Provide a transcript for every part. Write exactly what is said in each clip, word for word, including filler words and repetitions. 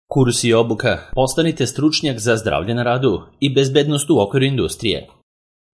Kurs i obuka. Postanite stručnjak za zdravlje na radu i bezbednost u okviru industrije.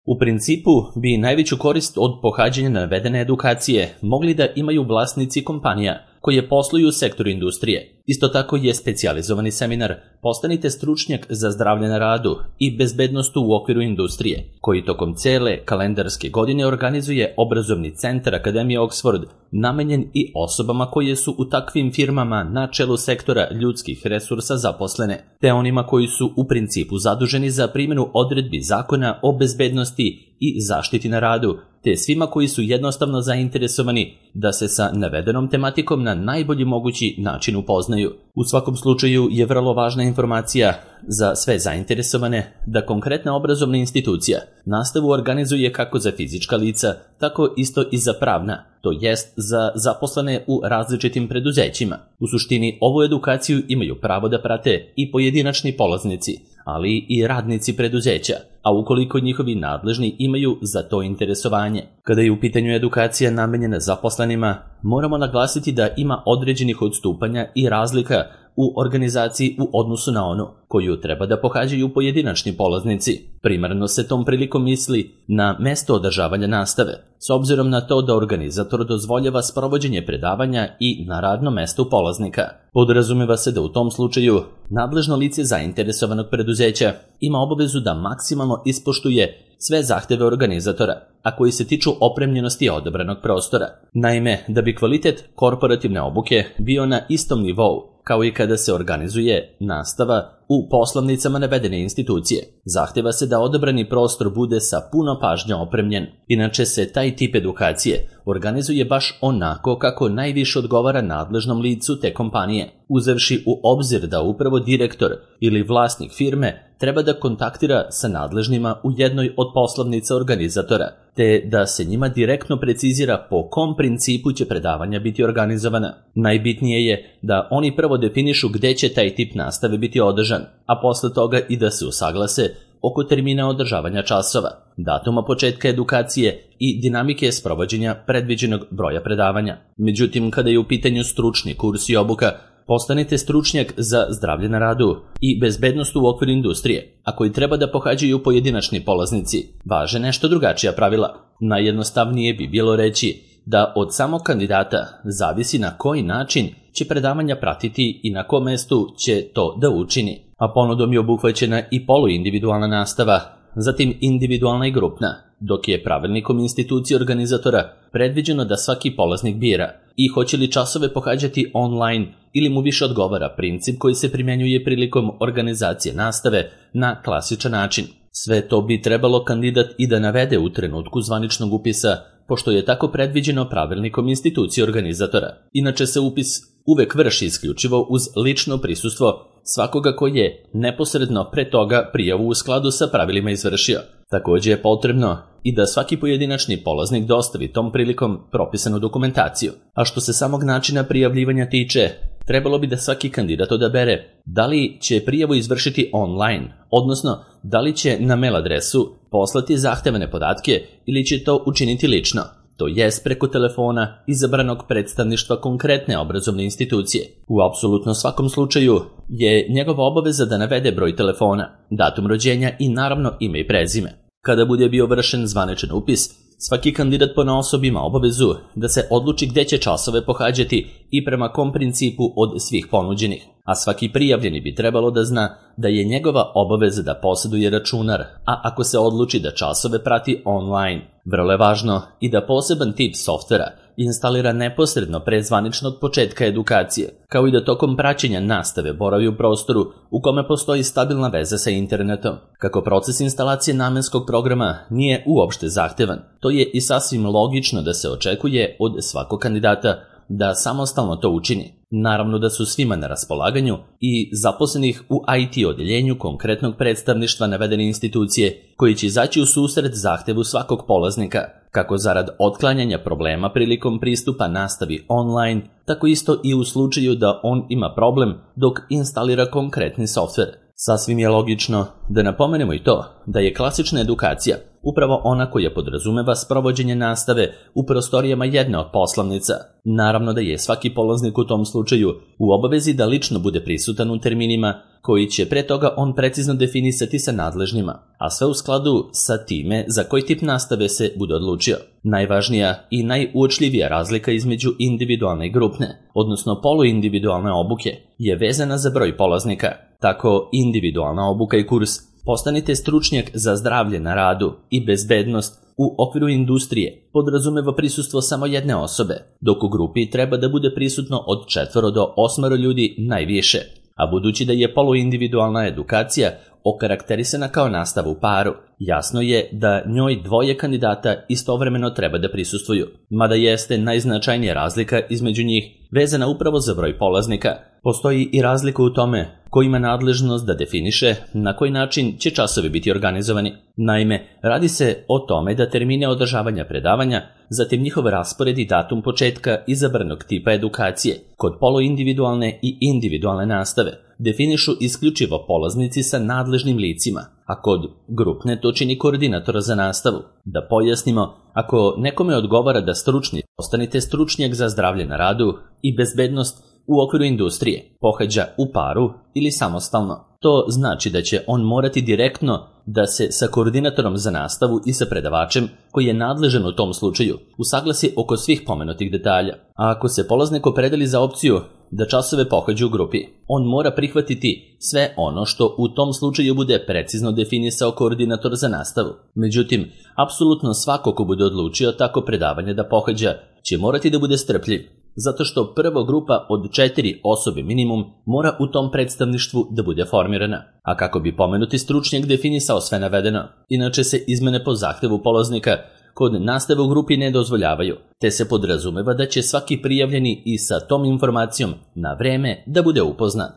U principu bi najveću korist od pohađanja navedene edukacije mogli da imaju vlasnici kompanija koje posluju u sektoru industrije. Isto tako je specijalizovani seminar Postanite stručnjak za zdravlje na radu i bezbednost u okviru industrije, koji tokom cele kalendarske godine organizuje obrazovni centar Akademije Oxford, namenjen i osobama koje su u takvim firmama na čelu sektora ljudskih resursa zaposlene, te onima koji su u principu zaduženi za primjenu odredbi zakona o bezbednosti i zaštiti na radu, te svima koji su jednostavno zainteresovani da se sa navedenom tematikom na najbolji mogući način upoznaju. U svakom slučaju je vrlo važna informacija za sve zainteresovane da konkretna obrazovna institucija nastavu organizuje kako za fizička lica, tako isto i za pravna, to jest za zaposlene u različitim preduzećima. U suštini, ovu edukaciju imaju pravo da prate i pojedinačni polaznici, ali i radnici preduzeća, a ukoliko njihovi nadležni imaju za to interesovanje. Kada je u pitanju edukacija namenjena zaposlenima, moramo naglasiti da ima određenih odstupanja i razlika u organizaciji u odnosu na onu koju treba da pohađaju pojedinačni polaznici. Primarno se tom prilikom misli na mesto održavanja nastave, s obzirom na to da organizator dozvoljava sprovođenje predavanja i na radno mesto polaznika. Podrazumeva se da u tom slučaju nadležno lice zainteresovanog preduzeća ima obavezu da maksimalno ispoštuje sve zahteve organizatora, a koji se tiču opremljenosti odabranog prostora. Naime, da bi kvalitet korporativne obuke bio na istom nivou kao i kada se organizuje nastava u poslovnicama navedene institucije, zahteva se da odabrani prostor bude sa puno pažnje opremljen. Inače se taj tip edukacije organizuje baš onako kako najviše odgovara nadležnom licu te kompanije, uzevši u obzir da upravo direktor ili vlasnik firme treba da kontaktira sa nadležnima u jednoj od poslovnica organizatora, te da se njima direktno precizira po kom principu će predavanja biti organizovana. Najbitnije je da oni prvo definišu gde će taj tip nastave biti održan, a posle toga i da se usaglase oko termina održavanja časova, datuma početka edukacije i dinamike sprovođenja predviđenog broja predavanja. Međutim, kada je u pitanju stručni kurs i obuka, Postanite stručnjak za zdravlje na radu i bezbednost u okviru industrije, a koji treba da pohađaju pojedinačni polaznici, važe nešto drugačija pravila. Najjednostavnije bi bilo reći da od samog kandidata zavisi na koji način će predavanja pratiti i na kom mestu će to da učini. A ponudom je obuhvaćena i poluindividualna nastava, zatim individualna i grupna, dok je pravilnikom institucije organizatora predviđeno da svaki polaznik bira i hoće li časove pohađati online ili mu više odgovara princip koji se primjenjuje prilikom organizacije nastave na klasičan način. Sve to bi trebalo kandidat i da navede u trenutku zvaničnog upisa, pošto je tako predviđeno pravilnikom institucije organizatora. Inače se upis uvek vrši isključivo uz lično prisustvo svakoga koji je neposredno pre toga prijavu u skladu sa pravilima izvršio. Također je potrebno i da svaki pojedinačni polaznik dostavi tom prilikom propisanu dokumentaciju. A što se samog načina prijavljivanja tiče, trebalo bi da svaki kandidat odabere da li će prijavu izvršiti online, odnosno da li će na mail adresu poslati zahtevane podatke ili će to učiniti lično, to jest preko telefona izabranog predstavništva konkretne obrazovne institucije. U apsolutno svakom slučaju je njegova obaveza da navede broj telefona, datum rođenja i naravno ime i prezime. Kada bude bio vršen zvaničan upis, svaki kandidat ponaosob ima obavezu da se odluči gde će časove pohađati i prema kom principu od svih ponuđenih, a svaki prijavljeni bi trebalo da zna da je njegova obaveza da posjeduje računar, a ako se odluči da časove prati online, vrlo je važno i da poseban tip softvera instalira neposredno pre zvaničnog početka edukacije, kao i da tokom praćenja nastave boravi u prostoru u kome postoji stabilna veza sa internetom. Kako proces instalacije namenskog programa nije uopšte zahtevan, to je i sasvim logično da se očekuje od svakog kandidata da samostalno to učini. Naravno da su svima na raspolaganju i zaposlenih u I T odeljenju konkretnog predstavništva navedene institucije koji će izaći u susret zahtevu svakog polaznika, kako zarad otklanjanja problema prilikom pristupa nastavi online, tako isto i u slučaju da on ima problem dok instalira konkretni softver. Sasvim je logično da napomenemo i to da je klasična edukacija upravo ona koja podrazumeva sprovođenje nastave u prostorijama jedne od poslovnica. Naravno da je svaki polaznik u tom slučaju u obavezi da lično bude prisutan u terminima koji će pre toga on precizno definisati sa nadležnjima, a sve u skladu sa time za koji tip nastave se bude odlučio. Najvažnija i najuočljivija razlika između individualne i grupne, odnosno poluindividualne obuke, je vezana za broj polaznika. Tako individualna obuka i kurs Postanite stručnjak za zdravlje na radu i bezbednost u okviru industrije podrazumeva prisustvo samo jedne osobe, dok u grupi treba da bude prisutno od četvoro do osmoro ljudi najviše, a budući da je poluindividualna edukacija okarakterisana kao nastava u paru, jasno je da njoj dvoje kandidata istovremeno treba da prisustvuju, mada jeste najznačajnija razlika između njih vezana upravo za broj polaznika. Postoji i razlika u tome ko ima nadležnost da definiše na koji način će časovi biti organizovani. Naime, radi se o tome da termine održavanja predavanja, zatim njihov raspored i datum početka izabranog tipa edukacije kod poluindividualne i individualne nastave definišu isključivo polaznici sa nadležnim licima, a kod grupne to čini koordinator za nastavu. Da pojasnimo, ako nekome odgovara da stručni postanite stručnjak za zdravlje na radu i bezbednost u okviru industrije, pohađa u paru ili samostalno, to znači da će on morati direktno da se sa koordinatorom za nastavu i sa predavačem, koji je nadležan u tom slučaju, usaglasi oko svih pomenutih detalja. A ako se polaznik opredeli za opciju da časove pohađa u grupi, on mora prihvatiti sve ono što u tom slučaju bude precizno definisao koordinator za nastavu. Međutim, apsolutno svako ko bude odlučio tako predavanje da pohađa će morati da bude strpljiv, zato što prva grupa od četiri osobe minimum mora u tom predstavništvu da bude formirana. A kako bi pomenuti stručnjak definisao sve navedeno, inače se izmene po zahtevu polaznika kod nastave u grupi ne dozvoljavaju, te se podrazumeva da će svaki prijavljeni i sa tom informacijom na vreme da bude upoznat.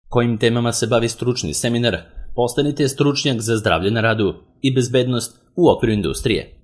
Kojim temama se bavi stručni seminar? Postanite stručnjak za zdravlje na radu i bezbednost u okviru industrije.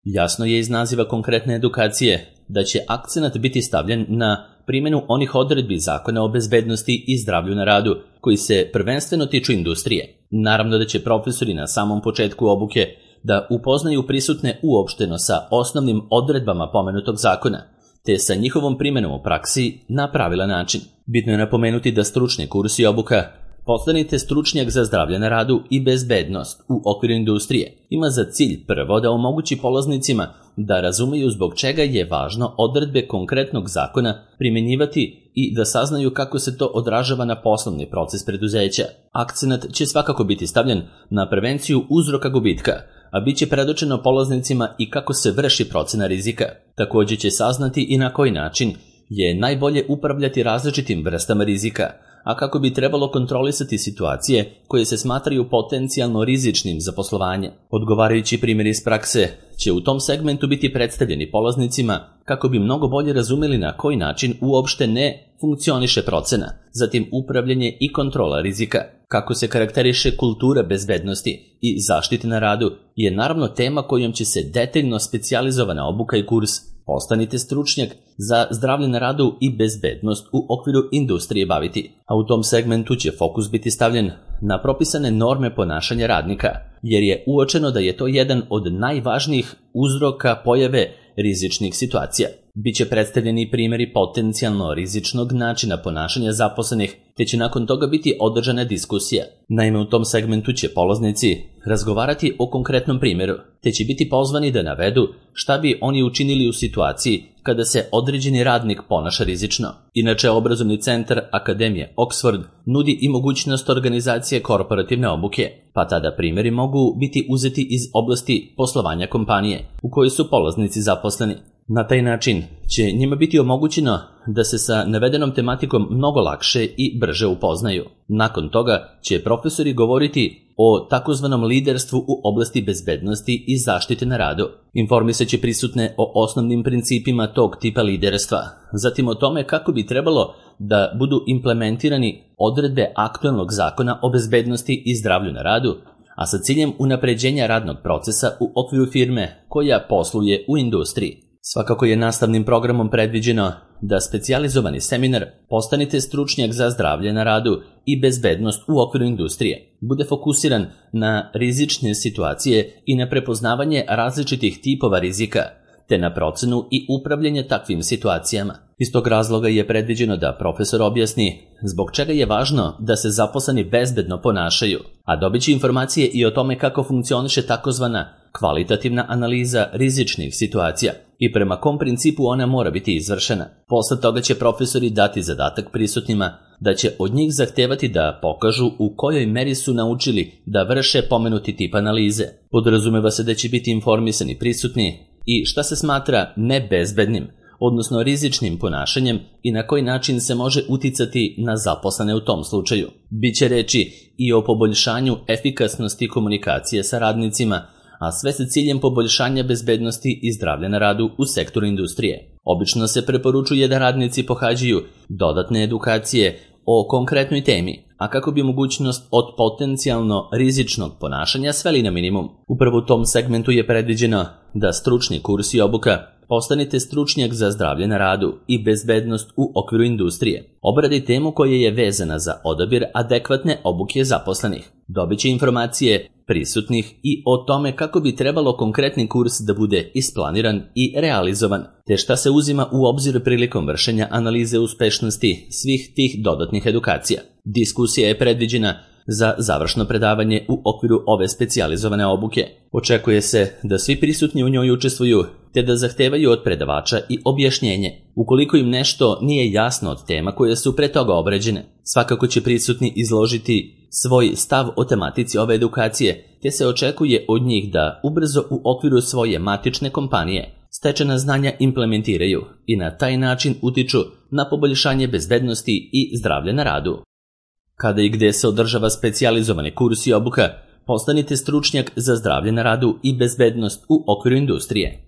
Jasno je iz naziva konkretne edukacije da će akcenat biti stavljen na primjenu onih odredbi Zakona o bezbednosti i zdravlju na radu koji se prvenstveno tiču industrije. Naravno da će profesori na samom početku obuke da upoznaju prisutne uopšteno sa osnovnim odredbama pomenutog zakona, te sa njihovom primjenom u praksi na pravilan način. Bitno je napomenuti da stručni kurs i obuka Postanite stručnjak za zdravlje na radu i bezbednost u okviru industrije ima za cilj prvo da omogući polaznicima da razumeju zbog čega je važno odredbe konkretnog zakona primjenjivati i da saznaju kako se to odražava na poslovni proces preduzeća. Akcenat će svakako biti stavljen na prevenciju uzroka gubitka, a bit će predočeno polaznicima i kako se vrši procena rizika. Također će saznati i na koji način je najbolje upravljati različitim vrstama rizika, a kako bi trebalo kontrolisati situacije koje se smatraju potencijalno rizičnim za poslovanje. Odgovarajući primjeri iz prakse će u tom segmentu biti predstavljeni polaznicima kako bi mnogo bolje razumeli na koji način uopšte ne funkcioniše procena, zatim upravljanje i kontrola rizika. Kako se karakteriše kultura bezbednosti i zaštite na radu je naravno tema kojom će se detaljno specijalizovana obuka i kurs Postanite stručnjak za zdravlje na radu i bezbednost u okviru industrije baviti, a u tom segmentu će fokus biti stavljen na propisane norme ponašanja radnika, jer je uočeno da je to jedan od najvažnijih uzroka pojave rizičnih situacija. Biće predstavljeni primjeri potencijalno rizičnog načina ponašanja zaposlenih, te će nakon toga biti održana diskusija. Naime, u tom segmentu će polaznici razgovarati o konkretnom primjeru, te će biti pozvani da navedu šta bi oni učinili u situaciji kada se određeni radnik ponaša rizično. Inače, obrazovni centar Akademije Oxford nudi i mogućnost organizacije korporativne obuke, pa tada primjeri mogu biti uzeti iz oblasti poslovanja kompanije u kojoj su polaznici zaposleni. Na taj način će njima biti omogućeno da se sa navedenom tematikom mnogo lakše i brže upoznaju. Nakon toga će profesori govoriti o takozvanom liderstvu u oblasti bezbednosti i zaštite na radu. Informisat će prisutne o osnovnim principima tog tipa liderstva, zatim o tome kako bi trebalo da budu implementirani odredbe aktualnog zakona o bezbednosti i zdravlju na radu, a sa ciljem unapređenja radnog procesa u okviru firme koja posluje u industriji. Svakako je nastavnim programom predviđeno da specijalizovani seminar Postanite stručnjak za zdravlje na radu i bezbednost u okviru industrije bude fokusiran na rizične situacije i na prepoznavanje različitih tipova rizika, te na procenu i upravljanje takvim situacijama. Iz tog razloga je predviđeno da profesor objasni zbog čega je važno da se zaposleni bezbedno ponašaju, a dobit će informacije i o tome kako funkcioniše takozvana kvalitativna analiza rizičnih situacija i prema kom principu ona mora biti izvršena. Posle toga će profesori dati zadatak prisutnima da će od njih zahtevati da pokažu u kojoj meri su naučili da vrše pomenuti tip analize. Podrazumeva se da će biti informisani prisutni i šta se smatra nebezbednim, odnosno rizičnim ponašanjem i na koji način se može uticati na zaposlene u tom slučaju. Biće reči i o poboljšanju efikasnosti komunikacije sa radnicima, a sve sa ciljem poboljšanja bezbednosti i zdravlja na radu u sektoru industrije. Obično se preporučuje da radnici pohađaju dodatne edukacije o konkretnoj temi, a kako bi mogućnost od potencijalno rizičnog ponašanja sveli na minimum. Upravo u tom segmentu je predviđeno da stručni kurs i obuka postanite stručnjak za zdravlje na radu i bezbednost u okviru industrije. Obradi temu koja je vezana za odabir adekvatne obuke zaposlenih. Dobit će informacije prisutnih i o tome kako bi trebalo konkretni kurs da bude isplaniran i realizovan, te šta se uzima u obzir prilikom vršenja analize uspešnosti svih tih dodatnih edukacija. Diskusija je predviđena za završno predavanje u okviru ove specijalizovane obuke. Očekuje se da svi prisutni u njoj učestvuju, te da zahtevaju od predavača i objašnjenje, ukoliko im nešto nije jasno od tema koje su pre toga obrađene. Svakako će prisutni izložiti svoj stav o tematici ove edukacije, te se očekuje od njih da ubrzo u okviru svoje matične kompanije stečena znanja implementiraju i na taj način utiču na poboljšanje bezbednosti i zdravlja na radu. Kada i gde se održava specijalizovani kurs i obuka, postanite stručnjak za zdravlje na radu i bezbednost u okviru industrije.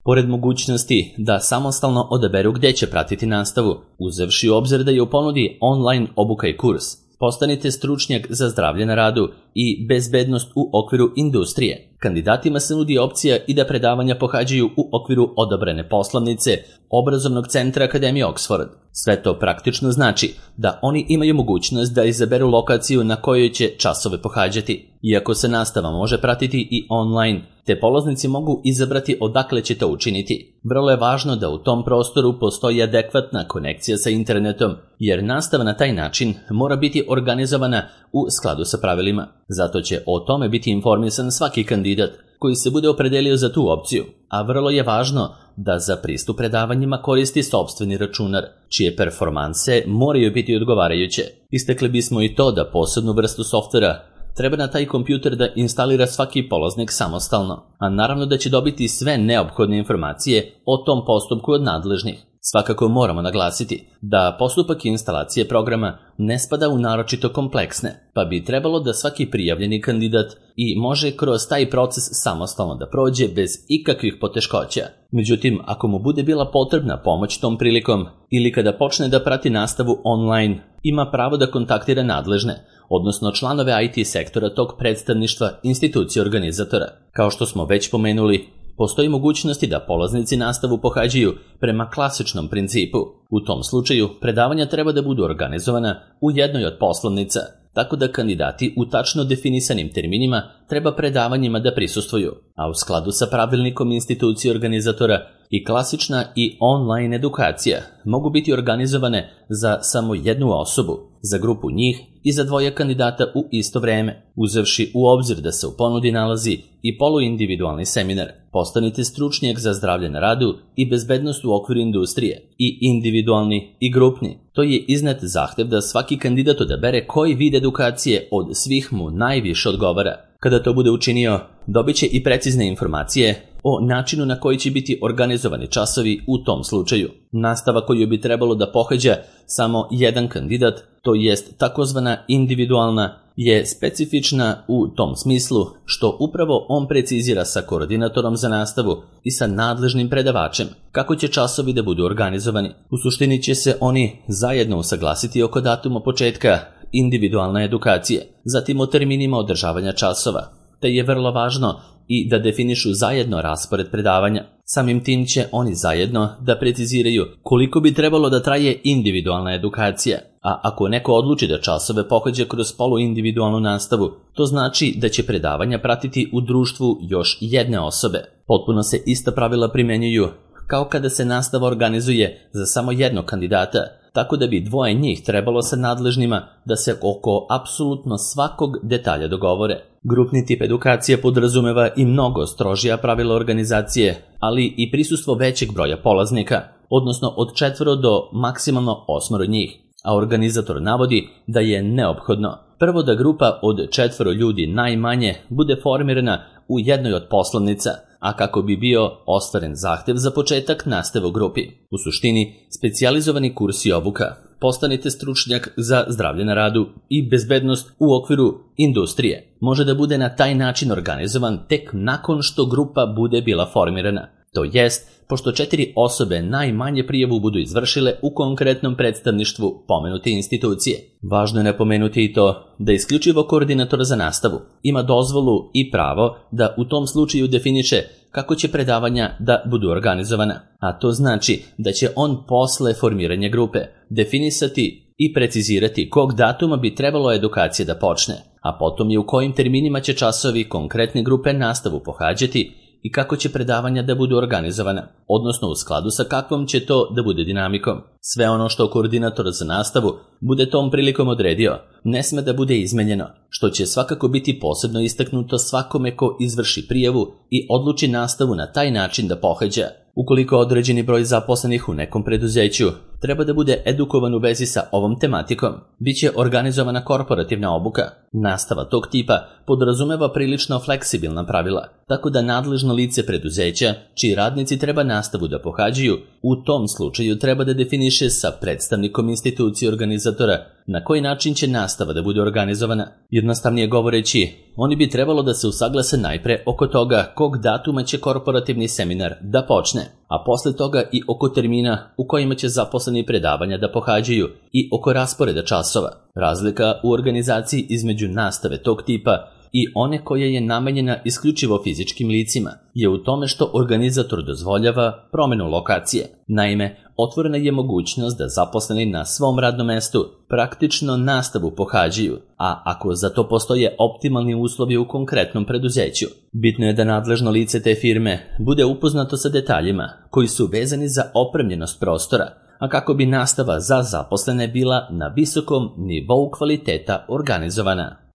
Pored mogućnosti da samostalno odaberu gde će pratiti nastavu, uzevši u obzir da je u ponudi online obuka i kurs, postanite stručnjak za zdravlje na radu i bezbednost u okviru industrije. Kandidatima se nudi opcija i da predavanja pohađaju u okviru odabrane poslovnice obrazovnog centra Akademije Oxford. Sve to praktično znači da oni imaju mogućnost da izaberu lokaciju na kojoj će časove pohađati. Iako se nastava može pratiti i online, te polaznici mogu izabrati odakle će to učiniti. Vrlo je važno da u tom prostoru postoji adekvatna konekcija sa internetom, jer nastava na taj način mora biti organizovana u skladu sa pravilima. Zato će o tome biti informisan svaki kandidat koji se bude opredelio za tu opciju, a vrlo je važno da za pristup predavanjima koristi sopstveni računar, čije performanse moraju biti odgovarajuće. Istakli bismo i to da posebnu vrstu softvera treba na taj kompjuter da instalira svaki polaznik samostalno, a naravno da će dobiti sve neophodne informacije o tom postupku od nadležnih. Svakako moramo naglasiti da postupak instalacije programa ne spada u naročito kompleksne, pa bi trebalo da svaki prijavljeni kandidat i može kroz taj proces samostalno da prođe bez ikakvih poteškoća. Međutim, ako mu bude bila potrebna pomoć tom prilikom ili kada počne da prati nastavu online, ima pravo da kontaktira nadležne, odnosno članove I T sektora tog predstavništva institucije organizatora. Kao što smo već pomenuli, postoji mogućnosti da polaznici nastavu pohađaju prema klasičnom principu. U tom slučaju, predavanja treba da budu organizovana u jednoj od poslovnica, tako da kandidati u tačno definisanim terminima treba predavanjima da prisustvuju, a u skladu sa pravilnikom institucije organizatora i klasična i online edukacija mogu biti organizovane za samo jednu osobu, za grupu njih i za dvoje kandidata u isto vreme, uzevši u obzir da se u ponudi nalazi i poluindividualni seminar. Postanite stručnjak za zdravlje na radu i bezbednost u okviru industrije, i individualni i grupni. To je iznet zahtev da svaki kandidat odabere koji vid edukacije od svih mu najviše odgovara. Kada to bude učinio, dobit će i precizne informacije o načinu na koji će biti organizovani časovi u tom slučaju. Nastava koju bi trebalo da pohađa samo jedan kandidat, to jest takozvana individualna, je specifična u tom smislu što upravo on precizira sa koordinatorom za nastavu i sa nadležnim predavačem kako će časovi da budu organizovani. U suštini će se oni zajedno usaglasiti oko datuma početka individualne edukacije, zatim o terminima održavanja časova, te je vrlo važno i da definišu zajedno raspored predavanja. Samim tim će oni zajedno da preciziraju koliko bi trebalo da traje individualna edukacija, a ako neko odluči da časove pohađa kroz poluindividualnu nastavu, to znači da će predavanja pratiti u društvu još jedne osobe. Potpuno se ista pravila primenjuju kao kada se nastava organizuje za samo jednog kandidata, tako da bi dvoje njih trebalo sa nadležnima da se oko apsolutno svakog detalja dogovore. Grupni tip edukacije podrazumeva i mnogo strožija pravila organizacije, ali i prisustvo većeg broja polaznika, odnosno od četvoro do maksimalno osmoro njih, a organizator navodi da je neophodno prvo da grupa od četvoro ljudi najmanje bude formirana u jednoj od poslovnica, a kako bi bio ostvaren zahtev za početak nastave u grupi. U suštini, specijalizovani kurs i obuka. Postanite stručnjak za zdravlje na radu i bezbednost u okviru industrije. Može da bude na taj način organizovan tek nakon što grupa bude bila formirana. To jest, pošto četiri osobe najmanje prijavu budu izvršile u konkretnom predstavništvu pomenute institucije. Važno je napomenuti i to da isključivo koordinator za nastavu ima dozvolu i pravo da u tom slučaju definiše kako će predavanja da budu organizovana, a to znači da će on posle formiranja grupe definisati i precizirati kog datuma bi trebalo edukacija da počne, a potom je u kojim terminima će časovi konkretne grupe nastavu pohađati i kako će predavanja da budu organizovana, odnosno u skladu sa kakvom će to da bude dinamikom. Sve ono što koordinator za nastavu bude tom prilikom odredio, ne sme da bude izmenjeno, što će svakako biti posebno istaknuto svakome ko izvrši prijavu i odluči nastavu na taj način da pohađa. Ukoliko određeni broj zaposlenih u nekom preduzeću treba da bude edukovan u vezi sa ovom tematikom, bit će organizovana korporativna obuka. Nastava tog tipa podrazumeva prilično fleksibilna pravila, tako da nadležno lice preduzeća, čiji radnici treba nastavu da pohađaju, u tom slučaju treba da definiše sa predstavnikom institucije organizatora na koji način će nastava da bude organizovana. Jednostavnije govoreći, oni bi trebalo da se usaglase najpre oko toga kog datuma će korporativni seminar da počne, a posle toga i oko termina u kojima će zaposleni predavanja da pohađaju i oko rasporeda časova. Razlika u organizaciji između nastave tog tipa i one koja je namenjena isključivo fizičkim licima je u tome što organizator dozvoljava promenu lokacije. Naime, otvorena je mogućnost da zaposleni na svom radnom mestu praktično nastavu pohađaju, a ako za to postoje optimalni uslovi u konkretnom preduzeću, bitno je da nadležno lice te firme bude upoznato sa detaljima koji su vezani za opremljenost prostora, a kako bi nastava za zaposlene bila na visokom nivou kvaliteta organizovana.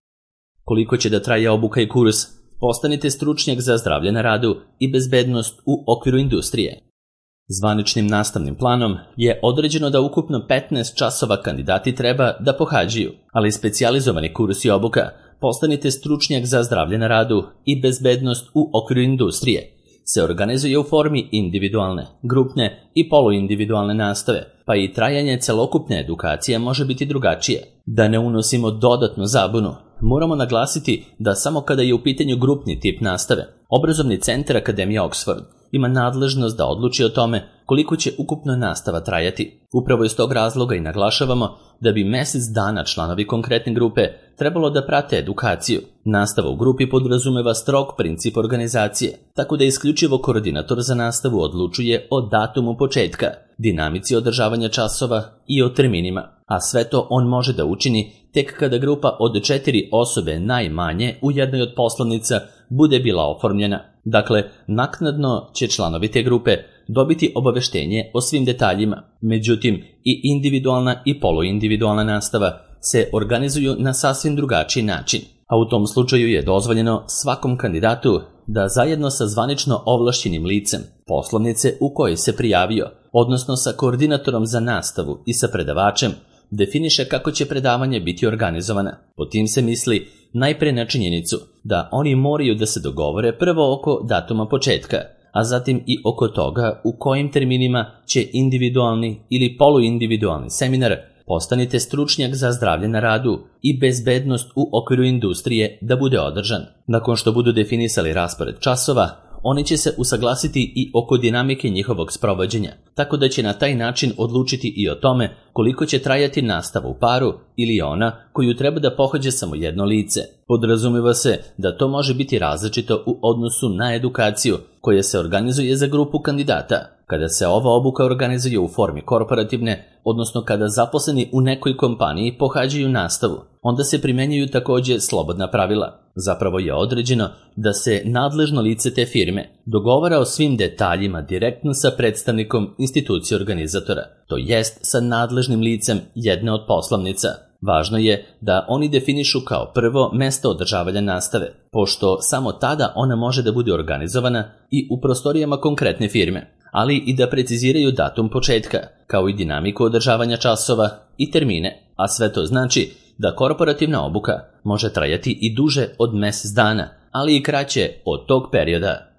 Koliko će da traje obuka i kurs? Postanite stručnjak za zdravlje na radu i bezbednost u okviru industrije. Zvaničnim nastavnim planom je određeno da ukupno petnaest časova kandidati treba da pohađaju, ali specijalizovani kurs i obuka Postanite stručnjak za zdravlje na radu i bezbednost u okviru industrije se organizuje u formi individualne, grupne i poluindividualne nastave, pa i trajanje celokupne edukacije može biti drugačije. Da ne unosimo dodatnu zabunu, moramo naglasiti da samo kada je u pitanju grupni tip nastave, obrazovni centar Akademije Oxford ima nadležnost da odluči o tome koliko će ukupno nastava trajati. Upravo iz tog razloga i naglašavamo da bi mesec dana članovi konkretne grupe trebalo da prate edukaciju. Nastava u grupi podrazumeva strog princip organizacije, tako da isključivo koordinator za nastavu odlučuje o datumu početka, dinamici održavanja časova i o terminima, a sve to on može da učini tek kada grupa od četiri osobe najmanje u jednoj od poslovnica bude bila oformljena. Dakle, naknadno će članovi te grupe dobiti obaveštenje o svim detaljima. Međutim, i individualna i poluindividualna nastava se organizuju na sasvim drugačiji način, a u tom slučaju je dozvoljeno svakom kandidatu da zajedno sa zvanično ovlašćenim licem poslovnice u kojoj se prijavio, odnosno sa koordinatorom za nastavu i sa predavačem, definiše kako će predavanje biti organizovana. Po tim se misli najpre na činjenicu da oni moraju da se dogovore prvo oko datuma početka, a zatim i oko toga u kojim terminima će individualni ili poluindividualni seminar Postanite stručnjak za zdravlje na radu i bezbednost u okviru industrije da bude održan. Nakon što budu definisali raspored časova, oni će se usaglasiti i oko dinamike njihovog sprovođenja, tako da će na taj način odlučiti i o tome koliko će trajati nastava u paru ili ona koju treba da pohađa samo jedno lice. Podrazumeva se da to može biti različito u odnosu na edukaciju koja se organizuje za grupu kandidata. Kada se ova obuka organizuje u formi korporativne, odnosno kada zaposleni u nekoj kompaniji pohađaju nastavu, onda se primenjuju takođe slobodna pravila. Zapravo je određeno da se nadležno lice te firme dogovara o svim detaljima direktno sa predstavnikom institucije organizatora, to jest sa nadležnim licem jedne od poslovnica. Važno je da oni definišu kao prvo mesto održavanja nastave, pošto samo tada ona može da bude organizovana i u prostorijama konkretne firme, ali i da preciziraju datum početka, kao i dinamiku održavanja časova i termine, a sve to znači da korporativna obuka može trajati i duže od mesec dana, ali i kraće od tog perioda.